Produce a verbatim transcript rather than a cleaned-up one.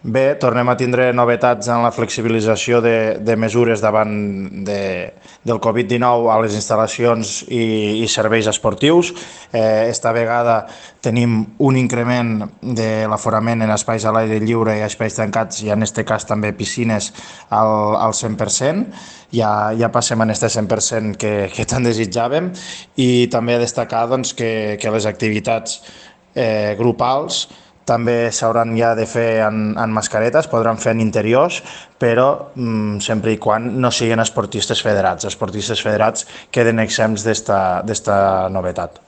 Bé, tornem a tindre novetats en la flexibilització de, de mesures davant de, del Covid dinou a les instal·lacions i, i serveis esportius. Eh, esta vegada tenim un increment de l'aforament en espais a l'aire lliure i espais tancats i en aquest cas també piscines al, al cent per cent. Ja, ja passem en este cent per cent que, que tant desitjàvem i també destacar doncs, que, que les activitats eh, grupals també s'hauran ja de fer en, en mascaretes, podran fer en interiors, però mm, sempre i quan no siguin esportistes federats. Esportistes federats queden exempts d'esta novetat.